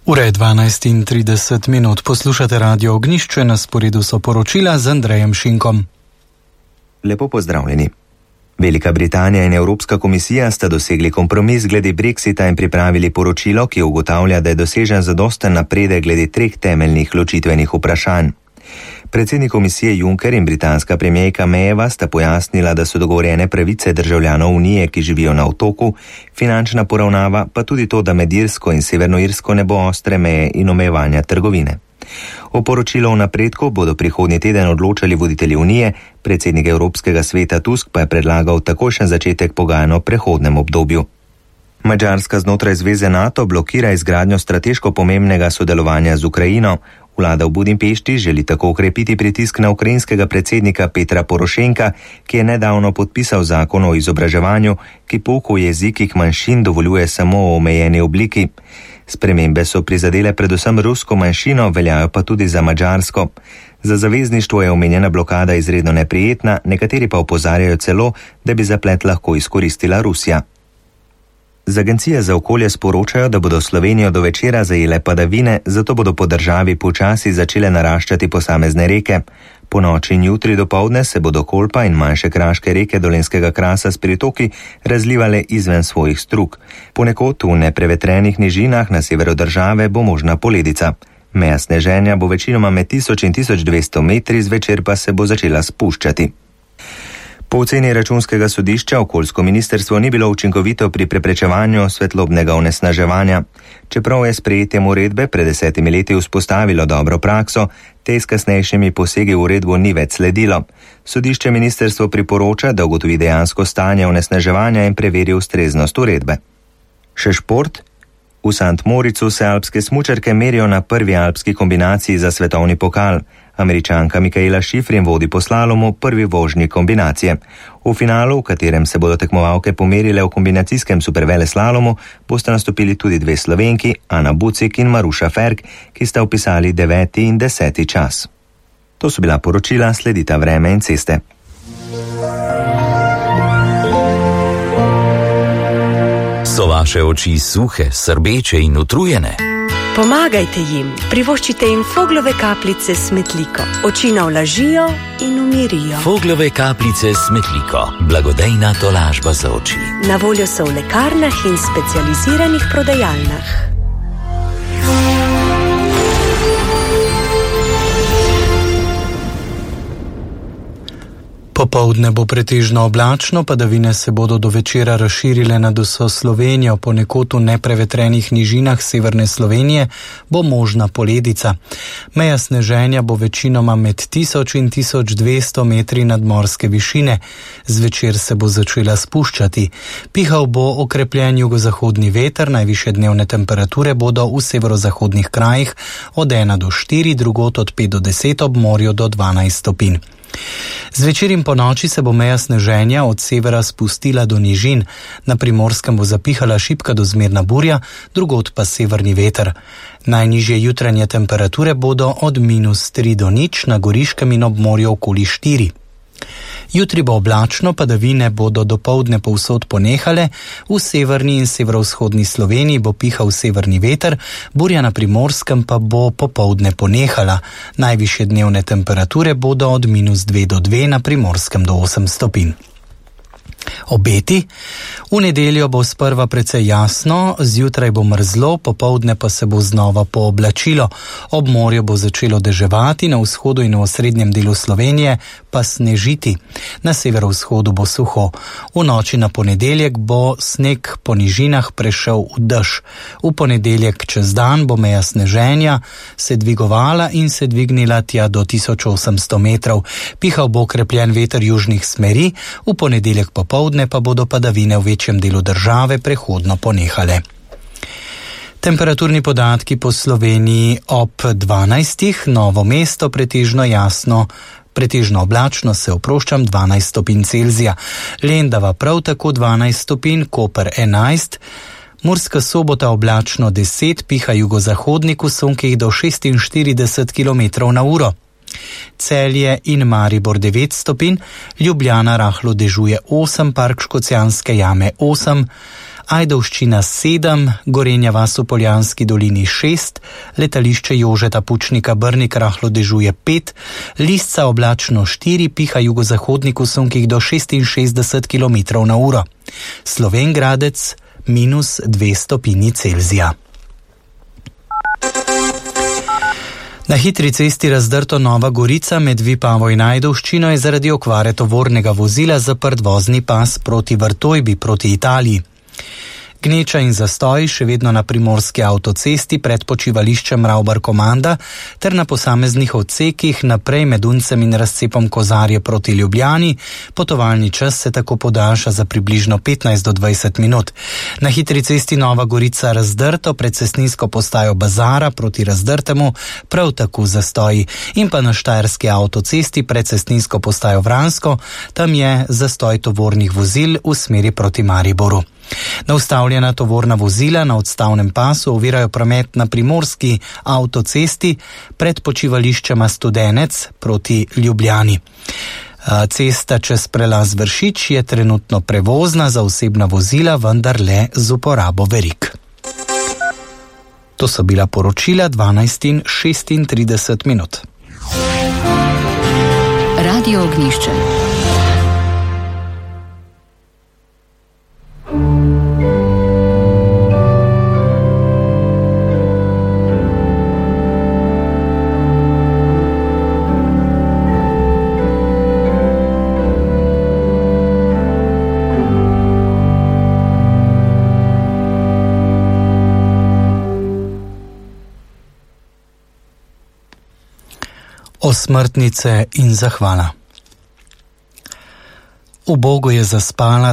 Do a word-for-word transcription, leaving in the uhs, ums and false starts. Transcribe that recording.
Ura je dvanajst in trideset minut. Poslušate Radio Ognjišče, na sporedu so poročila z Andrejem Šinkom. Lepo pozdravljeni. Velika Britanija in Evropska komisija sta dosegli kompromis glede Brexita in pripravili poročilo, ki ugotavlja, da je dosežen zadosten napredek glede treh temeljnih ločitvenih vprašanj. Predsednik komisije Juncker in britanska premijerka Mayeva sta pojasnila, da so dogovorjene pravice državljanov Unije, ki živijo na otoku, finančna poravnava, pa tudi to, da med Irsko in Severno Irsko ne bo ostre meje in omejevanja trgovine. O poročilu o napredku bodo prihodnji teden odločali voditelji Unije, predsednik Evropskega sveta Tusk pa je predlagal takojšen začetek pogajanj o prehodnem obdobju. Madžarska znotraj zveze NATO blokira izgradnjo strateško pomembnega sodelovanja z Ukrajino. Vlada v Budimpešti želi tako ukrepiti pritisk na ukrajinskega predsednika Petra Porošenka, ki je nedavno podpisal zakon o izobraževanju, ki pouk v jezikih manjšin dovoljuje samo v omejeni obliki. Spremembe so prizadele predvsem rusko manjšino, veljajo pa tudi za madžarsko. Za zavezništvo je omenjena blokada izredno neprijetna, nekateri pa opozarjajo celo, da bi zaplet lahko izkoristila Rusija. Z Agencije za okolje sporočajo, da bodo Slovenijo do večera zajele padavine, zato bodo po državi počasi začele naraščati posamezne reke. Po noči in jutri dopoldne se bodo Kolpa in manjše kraške reke Dolenjskega krasa s pritoki razlivale izven svojih strug. Ponekod v neprevetrenih nižinah na severu države bo možna poledica. Meja sneženja bo večinoma med tisoč in tisoč dvesto metri, zvečer pa se bo začela spuščati. Po oceni Računskega sodišča okoljsko ministrstvo ni bilo učinkovito pri preprečevanju svetlobnega onesnaževanja. Čeprav je sprejetjem uredbe pred desetimi leti vzpostavilo dobro prakso, te s kasnejšimi posegi v uredbo ni več sledilo. Sodišče ministrstvo priporoča, da ugotovi dejansko stanje onesnaževanja in preveri ustreznost uredbe. Še šport. V Sant Moricu se alpske smučarke merijo na prvi alpski kombinaciji za svetovni pokal. Američanka Mikaela Šifrin vodi po slalomu prvi vožnji kombinacije. V finalu, v katerem se bodo tekmovalke pomerile v kombinacijskem superveleslalomu, boste nastopili tudi dve Slovenki, Ana Bucik in Maruša Ferk, ki sta vpisali deveti in deseti čas. To so bila poročila, sledita vreme in ceste. So vaše oči suhe, srbeče in utrujene? Pomagajte jim, privoščite jim Foglove kapljice s Metliko. Oči navlažijo in umirijo. Foglove kapljice s Metliko. Blagodejna tolažba za oči. Na voljo so v lekarnah in specializiranih prodajalnah. Popoldne bo pretežno oblačno, padavine se bodo do večera razširile nad vso Slovenijo, ponekod v neprevetrenih nižinah severne Slovenije bo možna poledica. Meja sneženja bo večinoma med tisoč in tisoč dvesto metri nadmorske višine. Zvečer se bo začela spuščati. Pihal bo okrepljen jugozahodni veter, najvišje dnevne temperature bodo v severozahodnih krajih od ena do štiri, drugod od pet do deset, ob morju do dvanajst stopinj. Zvečer in po noči se bo meja sneženja od severa spustila do nižin. Na Primorskem bo zapihala šibka do zmerna burja, drugod pa severni veter. Najnižje jutranje temperature bodo od minus tri do nič, na Goriškem in ob morju okoli štiri. Jutri bo oblačno, padavine bodo dopoldne povsod ponehale, v severni in severovzhodni Sloveniji bo pihal severni veter, burja na Primorskem pa bo popoldne ponehala. Najvišje dnevne temperature bodo od minus dve do dve, na Primorskem do osem stopinj. Obeti. V nedeljo bo sprva precej jasno, zjutraj bo mrzlo, popoldne pa se bo znova pooblačilo. Ob morju bo začelo deževati, na vzhodu in v osrednjem delu Slovenije pa snežiti. Na severovzhodu bo suho. V noči na ponedeljek bo sneg po nižinah prešel v dež. V ponedeljek čez dan bo meja sneženja se dvigovala in se dvignila tja do tisoč osemsto metrov. Pihal bo okrepljen veter južnih smeri, v ponedeljek popoldne pa bodo padavine v večjem delu države prehodno ponehale. Temperaturni podatki po Sloveniji ob dvanajstih, Novo mesto pretežno jasno, pretežno oblačno, se oproščam, dvanajst stopinj Celzija, Lendava prav tako dvanajst stopinj, Koper enajst, Murska Sobota oblačno deset, piha jugozahodnik v sunkih do šestinštirideset kilometrov na uro. Celje in Maribor devet stopinj, Ljubljana rahlo dežuje osem, Park Škocjanske jame osem, Ajdovščina sedem, Gorenja vas v Poljanski dolini šest, letališče Jožeta Pučnika Brnik rahlo dežuje pet, Lisca oblačno štiri, piha jugozahodnik v sunkih do šestinšestdeset kilometrov na uro. Slovenj Gradec minus dve stopinji Celzija. Na hitri cesti razdrto Nova Gorica med Vipavo in Ajdovščino je zaradi okvare tovornega vozila zaprt vozni pas proti Vrtojbi proti Italiji. Gneča in zastoj še vedno na primorski avtocesti pred počivališčem Ravbar-Komanda ter na posameznih odsekih naprej med Uncem in razcepom Kozarje proti Ljubljani. Potovalni čas se tako podaljša za približno petnajst do dvajset minut. Na hitri cesti Nova Gorica razdrto pred cestninsko postajo Bazara proti Razdrtemu prav tako zastoji in pa na štajerski avtocesti pred cestninsko postajo Vransko, tam je zastoj tovornih vozil v smeri proti Mariboru. Naustavljena tovorna vozila na odstavnem pasu ovirajo promet na primorski avtocesti pred počivališčema Studenec proti Ljubljani. Cesta čez prelaz Vršič je trenutno prevozna za osebna vozila, vendar le z uporabo verig. To so bila poročila dvanajst in šestintrideset minut. Radio Ognjišče. Osmrtnice in zahvala. Ubogo je zaspala